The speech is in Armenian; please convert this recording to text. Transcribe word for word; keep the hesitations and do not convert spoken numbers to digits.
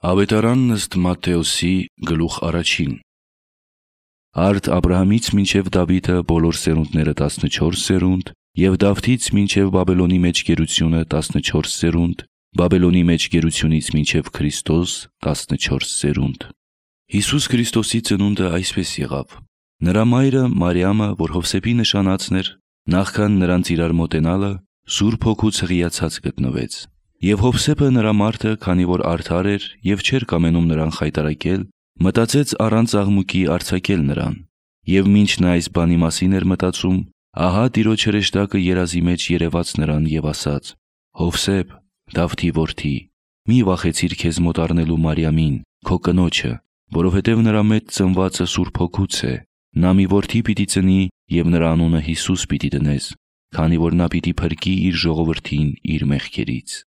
Ավետարանն ըստ Մատթեոսի գլուխ առաջին։ Արդ Աբրահամից մինչև Դավիթը բոլոր սերունդները տասնչորս սերունդ, և Դավթից մինչև Բաբելոնի մեջ գերությունը տասնչորս սերունդ, Բաբելոնի մեջ գերությունից մինչև Քրիստոս տասնչորս սերունդ։ Հիսուս Քրիստոսի ծնունդը այսպես եղավ. նրա մայրը Մարիամը, որ Հովսեփի նշանածն էր, նախքան նրանց իրար մոտենալը, Սուրբ Հոգուց հղիացած գտնվեց։ Եվ Հովսեփը նրա մարդը, քանի որ արդար էր և չէր կամենում նրան խայտառակել, մտածեց առանց աղմուկի արձակել նրան։ Եվ մինչ նա այս բանի մասին էր մտածում, ահա Տիրոջ հրեշտակը երազի մեջ երևաց նրան և ասաց. «Հովսեփ, Դավթի որդի, մի վախեցիր քեզ մոտ առնելու Մարիամին, քո կնոջը, որովհետև նրա մեջ ծնվածը Սուրբ Հոգուց է։ Նա մի որդի պիտի ծնի և նրա անունը Հիսուս պիտի դնես, քանի որ նա պիտի փրկի իր ժողովրդին իր մեղքերից»։